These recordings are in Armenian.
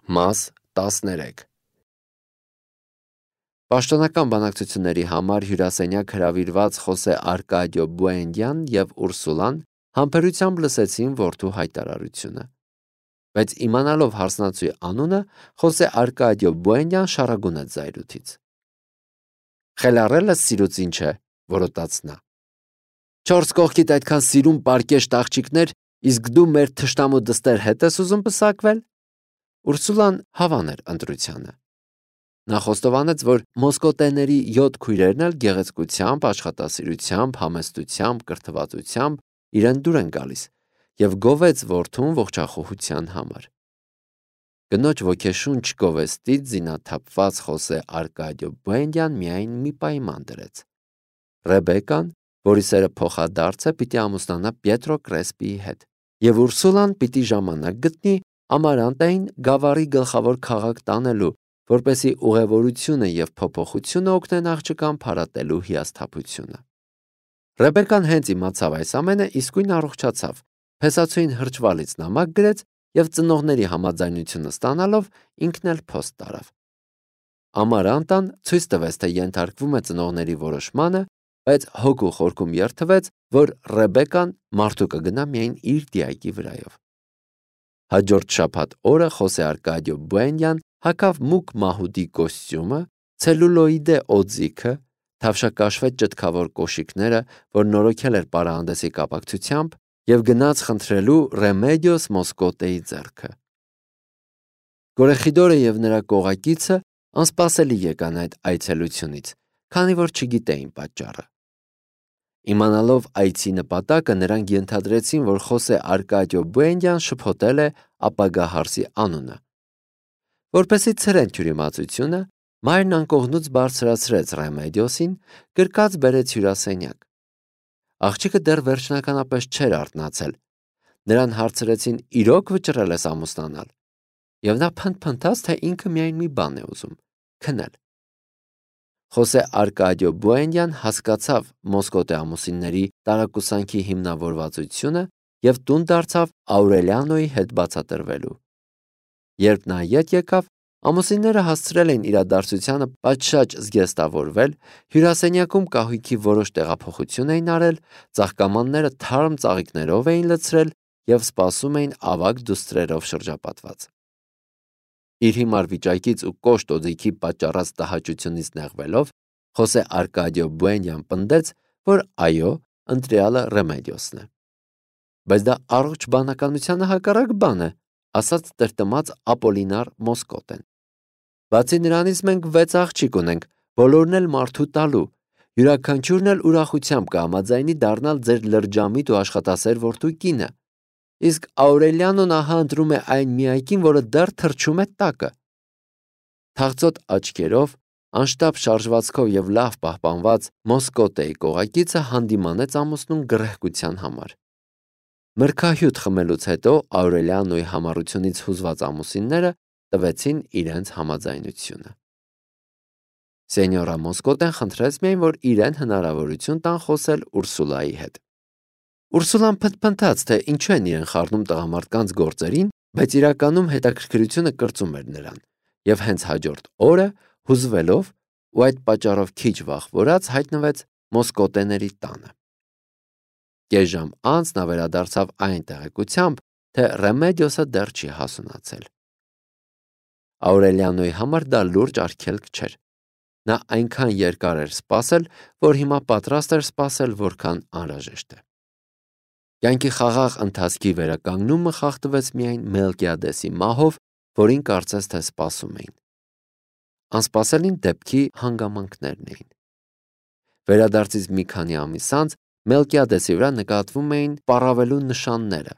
Մաս 13 Պաշտոնական բանակցությունների համար հյուրասենյակ հրավիրված Խոսե Արկադիո Բուենդյան և Ուրսուլան համբերությամբ լսեցին որդու հայտարարությունը, բայց իմանալով հարսնացուի անունը, Խոսե Արկադիո Բուենդյան շառագունեց զայրույթից: «Խելառելս սիրուց ինչ է», որոտաց նա: «Չորս կողքիդ այդքան սիրուն պարկեշտ աղջիկներ, իսկ դու մեր թշնամու դստեր հետ ես ուզում պսակվել»: Ուրսուլան հավան էր ընտրությանը: Նա խոստովանեց, որ մոսկոտեների 7 քույրերն էլ գեղեցկությամբ, աշխատասիրությամբ, համեստությամբ, կրթվածությամբ իրեն դուր են գալիս և գովեց որդուն ողջախոհության համար: Կնոջ ոգեշունչ գովեստից զինաթափված Խոսե Արկադիո Բուենդյան միայն մի պայման դրեց: Ռեբեկան, որի սերը փոխադարձ է, պիտի ամուսնանա Պիետրո Կրեսպիի հետ, և Ուրսուլան պիտի ժամանակ գտնի Ամարանտային գավառի գլխավոր քաղաք տանելու, որպեսզի ուղևորությունը և փոփոխությունը օգնեն աղջկան փարատելու հիասթափությունը: Ռեբեկան հենց իմացավ այս ամենը, իսկույն առողջացավ, փեսացուին հրճվալից նամակ գրեց և ծնողների համաձայնությունը ստանալով ինքն էլ փոստ տարավ: Ամարանտան ցույց տվեց, թե ենթարկվում է ծնողների որոշմանը, բայց հոգու խորքում երդվեց, որ Ռեբեկան մարդու կգնա միայն իր դիակի վրայով: Հաջորդ շաբաթ օրը Խոսե Արկադիո Բուենդյան հագավ մուգ մահուդի կոստյումը, ցելյուլոիդե օձիքը, թավշակաշվեց ճտկավոր կոշիկները, որ նորոգել էր պարահանդեսի կապակցությամբ, և գնաց խնդրելու Ռեմեդիոս Մոսկոտեի ձեռքը: Կորեխիդորը և նրա կողակիցը անսպասելի եկան այդ այցելությունից, քանի որ չգիտեին պատճառը: Իմանալով այցի նպատակը, նրանք ենթադրեցին, որ Խոսե Արկադիո Բուենդյան շփոթել է ապագա հարսի անունը: Որպեսզի ցրեն թյուրիմացությունը, մայրն անկողնուց բարձրացրեց Ռեմեդիոսին, գրկած բերեց հյուրասենյակ: Աղջիկը դեռ վերջնականապես չէր արթնացել: Նրան հարցրեցին իրո՞ք վճռել ես ամուսնանալ, և նա փնթփնթաց, թե ինքը միայն մի բան է ուզում՝ քնել: Խոսե Արկադիո Բուենդյան հասկացավ Մոսկոտե ամուսինների տարակուսանքի հիմնավորվածությունը և տուն դարձավ Աուրելիանոյի հետ բացատրվելու: Երբ նա ետ եկավ, ամուսինները հասցրել էին իրադարձությանը պատշաճ զգեստավորվել, հյուրասենյակում կահույքի որոշ տեղափոխություն էին արել, ծաղկամանները թարմ ծաղիկներով էին լցրել և սպասում էին ավագ դուստրերով շրջապատված: Իր հիմար վիճակից ու կոշտ օձիքի պատճառած տհաճությունից նեղվելով, Խոսե Արկադիո Բուենդյան պնդեց, որ այո, ընտրյալը Ռեմեդիոսն է: «Բայց դա առողջ բանականությանը հակառակ բան է», ասաց տրտմած Ապոլինար Մոսկոտեն: «Բացի նրանից մենք 6 աղջիկ ունենք, բոլորն էլ մարդու տալու, յուրաքանչյուրն էլ ուրախությամբ կհամաձայնի դառնալ ձեր լրջամիտ ու աշխատասեր որդու կինը, իսկ Աուրելիանոն ահա ընտրում է այն միակին, որը դեռ թռչում է տակը»: Թախծոտ աչքերով, անշտապ շարժվածքով և լավ պահպանված Մոսկոտեի կողակիցը հանդիմանեց ամուսնուն գռեհկության համար: Մրգահյութ խմելուց հետո Աուրելիանոյի համառությունից հուզված ամուսինները տվեցին իրենց համաձայնությունը: Սենյորա Մոսկոտեն խնդրեց միայն, որ իրեն հնարավորություն տան խոսել Ուրսուլայի հետ: Ուրսուլան փնթփնթաց, թե ինչու են իրեն խառնում տղամարդկանց գործերին, բայց իրականում հետաքրքրությունը կրծում էր նրան և հենց հաջորդ օրը, հուզվելով ու այդ պատճառով քիչ վախվորած, հայտնվեց Մոսկոտեների տանը: Կես ժամ անց նա վերադարձավ այն տեղեկությամբ, թե Ռեմեդիոսը դեռ չի հասունացել: Աուրելիանոյի համար դա լուրջ արգելք չէր: Նա այնքան երկար էր սպասել, որ հիմա պատրաստ էր սպասել որքան անհրաժեշտ է: Կյանքի խաղաղ ընթացքի վերականգնումը խախտվեց միայն Մելկիադեսի մահով, որին կարծես թե սպասում էին: Անսպասելին դեպքի հանգամանքներն էին: Վերադարձից մի քանի ամիս անց Մելկիադեսի վրա նկատվում էին պառավելու նշանները: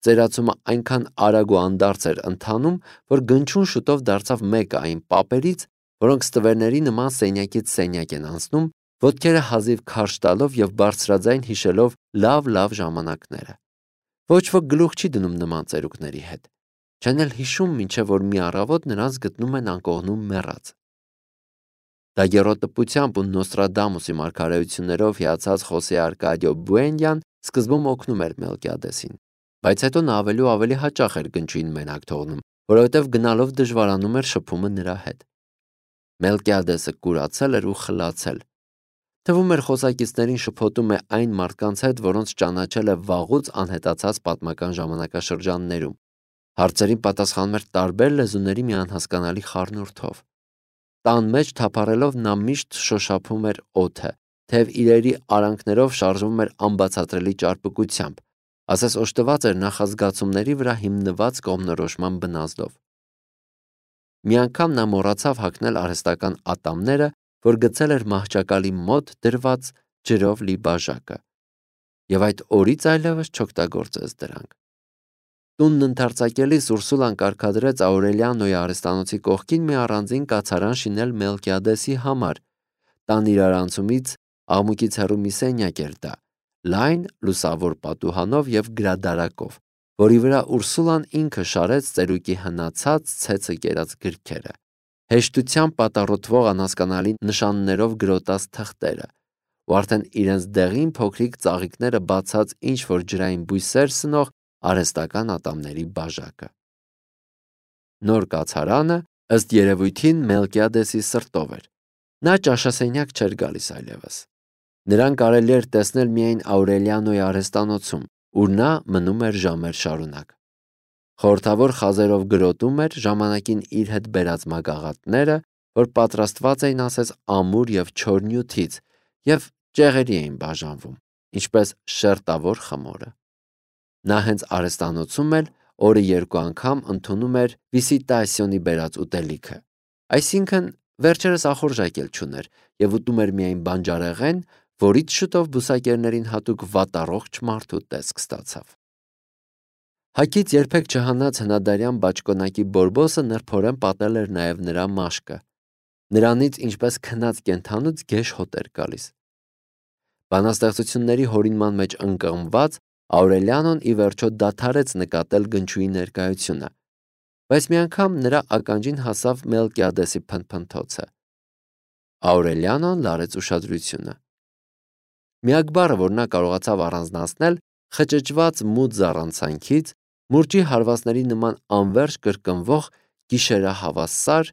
Ծերացումը այնքան արագ ու անդարձ էր ընթանում, որ Գնչուն շուտով դարձավ մեկը այն պապերից, որոնք ստվերների նման սենյակից սենյակ են անցնում, ոտքերը հազիվ քարշ տալով և բարձրաձայն հիշելով լավ ժամանակները: Ոչ ոք գլուխ չի դնում նման ծերուկների հետ, չեն էլ հիշում, մինչև որ մի առավոտ նրանց գտնում են անկողնում մեռած: Դագեռոտպությամբ ու Նոստրադամուսի մարգարեություններով հիացած Խոսե Արկադիո Բուենդյան սկզբում օգնում էր Մելկիադեսին, բայց հետո նա ավելի ու ավելի հաճախ էր Գնչուին մենակ թողնում որովհետև գնալով դժվարանում էր շփումը նրա հետ։ Մելկիադեսը կուրացել էր ու խլացել։ Թվում էր խոսակիցներին շփոթում է այն մարդկանց հետ, որոնց ճանաչել է վաղուց անհետացած պատմական ժամանակաշրջաններում։ Հարցերին պատասխանում էր տարբեր լեզուների մի անհասկանալի խառնուրդով։ Տան մեջ թափառելով նա միշտ շոշափում էր օդը, թեև իրերի արանքներով շարժվում էր անբացատրելի ճարպկությամբ, ասես օժտված էր նախազգացումների վրա հիմնված կողմնորոշման բնազդով։ Մի անգամ նա մոռացավ հագնել արհեստական ատամները, որ գցել էր մահճակալի մոտ դրված ջրով լի բաժակը, եւ այդ օրից այլևս չօգտագործեց դրանք։ Տունն ընդարձակելիս Ուրսուլան կարգադրեց Աուրելիանոյի արհեստանոցի կողքին մի առանձին կացարան շինել Մելկիադեսի համար։ Տան իրարանցումից աղմուկից հեռու մի սենյակ էր դա, լայն լուսավոր պատուհանով եւ գրադարակով, որի վրա Ուրսուլան ինքը շարեց ծերուկի հնացած ցեցը կերած գրքերը, հեշտությամբ պատառոտվող անհասկանալի նշաններով գրոտած թղթերը, ու արդեն իրենց դեղին փոքրիկ ծաղիկները բացած ինչ-որ ջրային բույսեր սնող արհեստական ատամների բաժակը։ Նոր կացարանը ըստ երևույթին Մելկիադեսի սրտով էր։ Նա ճաշասենյակ չէր գալիս այլևս։ Նրան կարելի էր տեսնել միայն Աուրելիանոյի արհեստանոցում, ուր նա մնում էր ժամեր շարունակ։ Խորհրդավոր խազերով գրոտում էր ժամանակին իր հետ բերած մագաղատները, որ պատրաստված էին ասես ամուր եւ չոր նյութից եւ ճեղերի էին բաժանվում, ինչպես շերտավոր խմորը։ Նա հենց արհեստանոցում էլ օրը 2 անգամ ընդունում էր վիսիտասիոնի բերած ուտելիքը, այսինքն վերջերս ախորժակ էլ չուներ եւ ուտում էր միայն բանջարեղեն, որից շուտով բուսակերներին հատուկ վատառողջ մարդու տեսք ստացավ։ Հակից երբեք չհանած հնադարյան բաճկոնակի բորբոսը նրբորեն պատել էր նաև նրա մաշկը։ Նրանից ինչպես քնած կենթանուց գեշ հոտ էր գալիս։ Բանաստեղծությունների հորինման մեջ ընկղմված Աուրելիանոն ի վերջո դադարեց նկատել գնչուի ներկայությունը, բայց մի անգամ նրա ականջին հասավ Մելկիադեսի փնթփնթոցը։ Աուրելիանոն լարեց ուշադրությունը։ Միակ բառը, որ նա կարողացավ առանձնացնել, խճճված մութ զառանցանքից, մուրճի հարվածների նման անverջ կրկնվող գիշերահավասար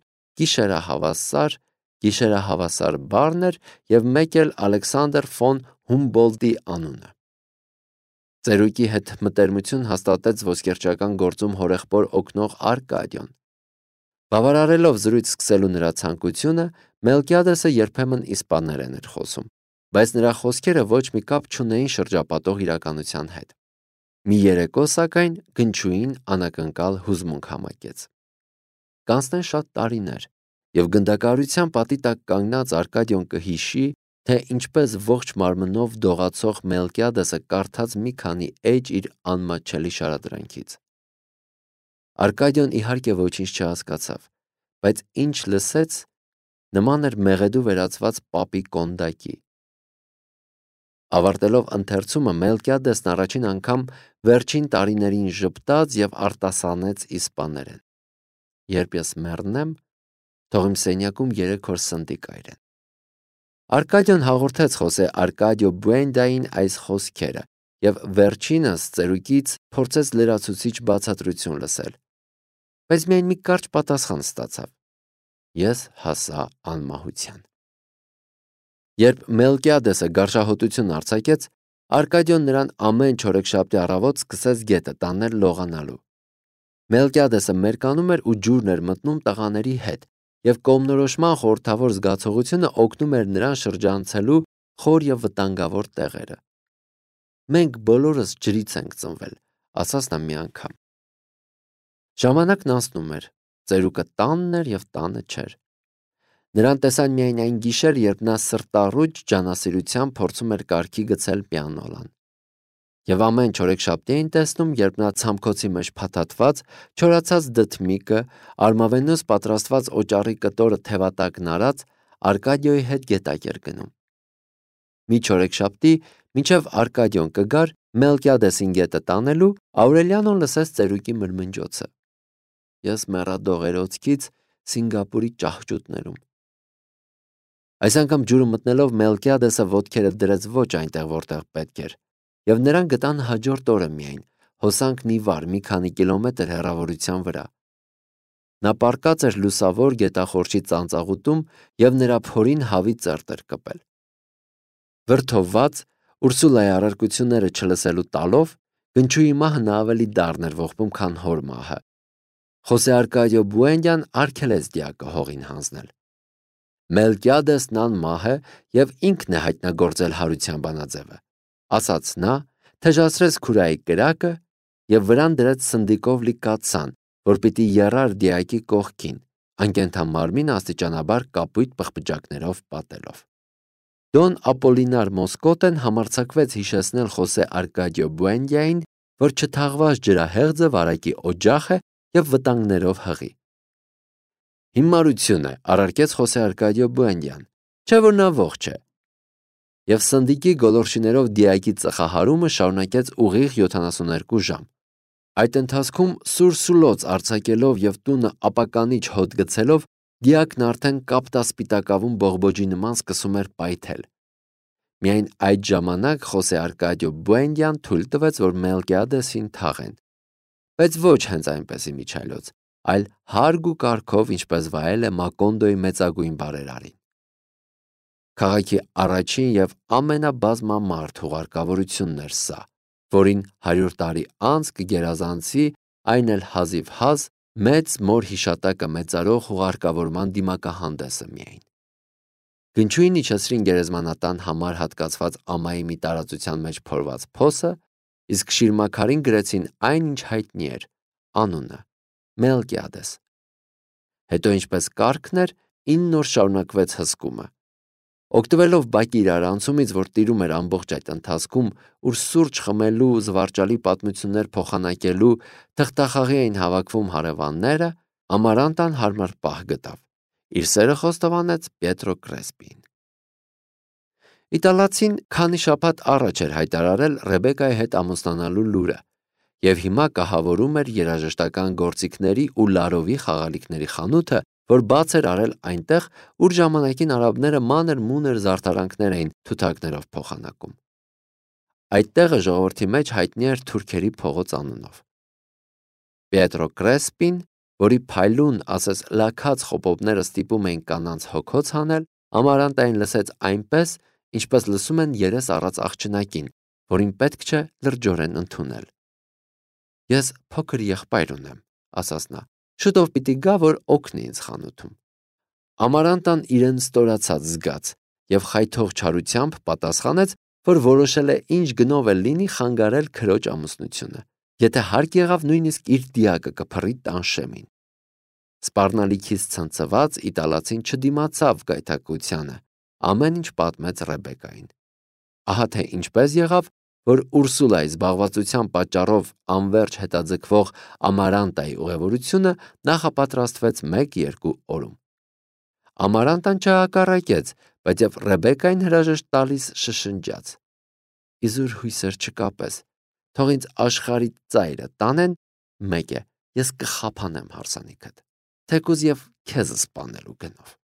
բառն էր եւ մեկ էլ Ալեքսանդր ֆոն Հումբոլդտի անունը։ Ծերուկի հետ մտերմություն հաստատեց ոսկերչական գործում հորեղբոր օգնող Արկադիոն։ Բավարարելով զրույց սկսելու նրա ցանկությունը, Մելկիադեսը երբեմն իսպաներեն էր խոսում, բայց նրա խոսքերը ոչ մի կապ չունեին շրջապատող իրականության հետ։ Մի երեկո, սակայն, գնչուին անակնկալ հուզմունք համակեց։ Կանցնեն շատ տարիներ, եւ գնդակահարության պատի տակ կանգնած Արկադիոն կհիշի, թե ինչպես ողջ մարմնով դողացող Մելկիադեսը կարդաց մի քանի էջ իր անմատչելի շարադրանքից։ Արկադիոն իհարկե ոչինչ չհասկացավ, բայց ինչ լսեց, նման էր մեղեդու վերածված պապի կոնդակի։ Ավարտելով ընթերցումը Մելկիադեսն առաջին անգամ վերջին տարիներին ժպտաց եւ արտասանեց իսպաներեն. «Երբ ես մեռնեմ, թող իմ սենյակում 3 օր սնդի կայրեն»։ Արկադիոն հաղորդեց Խոսե Արկադիո Բուենդային այս խոսքերը եւ վերջինս ծերուկից փորձեց լրացուցիչ բացատրություն լսել, բայց միայն մի կարճ պատասխան ստացավ. «Ես հասա անմահության»։ Երբ Մելկիադեսը գարշահոտություն արձակեց, Արկադիոն նրան ամեն չորեքշաբթի առավոտ սկսեց գետը տանել լողանալու։ Մելկիադեսը մերկանում էր ու ջուրն էր մտնում տղաների հետ, եւ կողմնորոշման խորհրդավոր զգացողությունը օգնում էր նրան շրջանցելու խոր եւ վտանգավոր տեղերը։ «Մենք բոլորս ջրից ենք ծնվել», ասաց նա մի անգամ։ Ժամանակն անցնում էր, ծերուկը տանն էր եւ տանը չէր։ Նրան տեսան միայն այն գիշեր, երբ նա սրտառուչ ջանասիրությամբ փորձում էր կարգի գցել պիանոլան։ Եվ ամեն չորեքշաբթի էին տեսնում, երբ նա ցամքոցի մեջ փաթաթված, չորացած դդմիկը, արմավենուց պատրաստված օճառի կտորը թևատակն արած, Արկադիոյի հետ գետակ էր գնում։ Մի չորեքշաբթի, մինչև Արկադիոն կգար Մելկիադեսին գետը տանելու, Աուրելիանոն լսեց ծերուկի մրմնջոցը. «Ես մեռա դողերոցքից Սինգապուրի ճահճուտներում»։ Այս անգամ ջուրը մտնելով Մելկիադեսը ոտքերը դրեց ոչ այնտեղ, որտեղ պետք էր, եւ նրան գտան հաջորդ օրը միայն, հոսանքն ի վար մի քանի կիլոմետր հեռավորության վրա։ Նա պառկած էր լուսավոր գետախորշի ծանծաղուտում և նրա փորին հավի ծերտ էր կպել։ Վրդովված, Ուրսուլայի առարկությունները չլսելու տալով, գնչուի մահը նա ավելի դառն էր ողբում, քան հոր մահը։ Խոսե Արկադիո Բուենդյան արգելեց դիակը հողին հանձնել։ Մելկիադեսն անմահ է և ինքն է հայտնագործել հարության բանաձևը, ասաց նա, թեժացրեց քուրայի կրակը և վրան դրեց սնդիկով լի կաթսան, որ պիտի եռար դիակի կողքին, անկենդան մարմինը աստիճանաբար կապույտ պղպջակներով պատելով։ Դոն Ապոլինար Մոսկոտեն համարձակվեց հիշեցնել Խոսե Արկադիո Բուենդիային, որ չթաղված ջրահեղձը վարակի օջախ է և վտանգներով հղի։ Հիմարություն է, առարկեց Խոսե Արկադիո Բուենդյան, չէ՞ որ նա ողջ է։ Եվ սնդիկի գոլորշիներով դիակի ծխահարումը շարունակեց ուղիղ 72 ժամ։ Այդ ընթացքում սուր սուլոց արձակելով և տունը ապականիչ հոտ գցելով, դիակն արդեն կապտասպիտակավուն բողբոջի նման սկսում էր պայթել։ Միայն այդ ժամանակ Խոսե Արկադիո Բուենդյան թույլ տվեց, որ Մելկիադեսին թաղեն, բայց ոչ հենց այնպես իմիջիայլոց, այլ հարգ ու կարգով, ինչպես վայել է Մակոնդոյի մեծագույն բարերարին։ Քաղաքի առաջին և ամենաբազմամարդ հուղարկավորությունն էր սա, որին 100 տարի անց կգերազանցի այն էլ հազիվ հազ մեծ մոր հիշատակը մեծարող հուղարկավորման դիմակահանդեսը միայն։ Գնչուին իջեցրին գերեզմանատան համար հատկացված ամայի մի տարածության մեջ փորված փոսը, իսկ շիրմաքարին գրեցին այն, ինչ հայտնի էր, անունը՝ Մելկիադես։ Հետո, ինչպես կարգն էր, 9 օր շարունակվեց հսկումը։ Օգտվելով բակի իրարանցումից, որ տիրում էր ամբողջ այդ ընթացքում, ուր սուրճ խմելու, զվարճալի պատմություններ փոխանակելու, թղթախաղի էին հավաքվում հարևանները, Ամարանտան հարմար պահ գտավ։ Իր սերը խոստովանեց Պիետրո Կրեսպիին։ Իտալացին քանի շաբաթ առաջ էր հայտարարել Ռեբեկայի հետ ամուսնանալու լուրը և հիմա կահավորում էր երաժշտական գործիքների ու լարովի խաղալիքների խանութը, որ բաց էր արել այնտեղ, ուր ժամանակին արաբները մանր-մունր զարդարանքներ էին թութակներով փոխանակում։ Այդ տեղը ժողովրդի մեջ հայտնի էր Թուրքերի փողոց անունով։ Պիետրո Կրեսպին, որի փայլուն, ասես լաքած խոպոպները ստիպում էին կանանց հոգոց հանել, Ամարանտային լսեց այնպես, ինչպես լսում են երես առած աղջնակին, որին պետք չէ լրջորեն ընդունել։ Ես փոքր եղբայր ունեմ, ասաց նա, շուտով պիտի գա, որ օգնի ինձ խանութում։ Ամարանտան իրեն ստորացած զգաց և խայթող չարությամբ պատասխանեց, որ որոշել է ինչ գնով էլ լինի խանգարել քրոջ ամուսնությունը, եթե հարկ եղավ նույնիսկ իր դիակը կփռի տանշեմին։ Սպառնալիքից ցնցված իտալացին չդիմացավ գայթակղությանը, ամեն ինչ պատմեց Ռեբեկային։ Ահա թե ինչպես եղավ, որ Ուրսուլայի զբաղվածության պատճառով անվերջ հետաձգվող Ամարանտայի ուղևորությունը նախապատրաստվեց 1-2 օրում։ Ամարանտան չհակառակեց, բայց և Ռեբեկային հրաժեշտ տալիս շշնջաց. «Իզուր հույսեր չկապես, թող ինձ աշխարհի ծայրը տանեն, մեկ է, ես կխափանեմ հարսանիքդ, թեկուզ և քեզ սպանելու գնով»։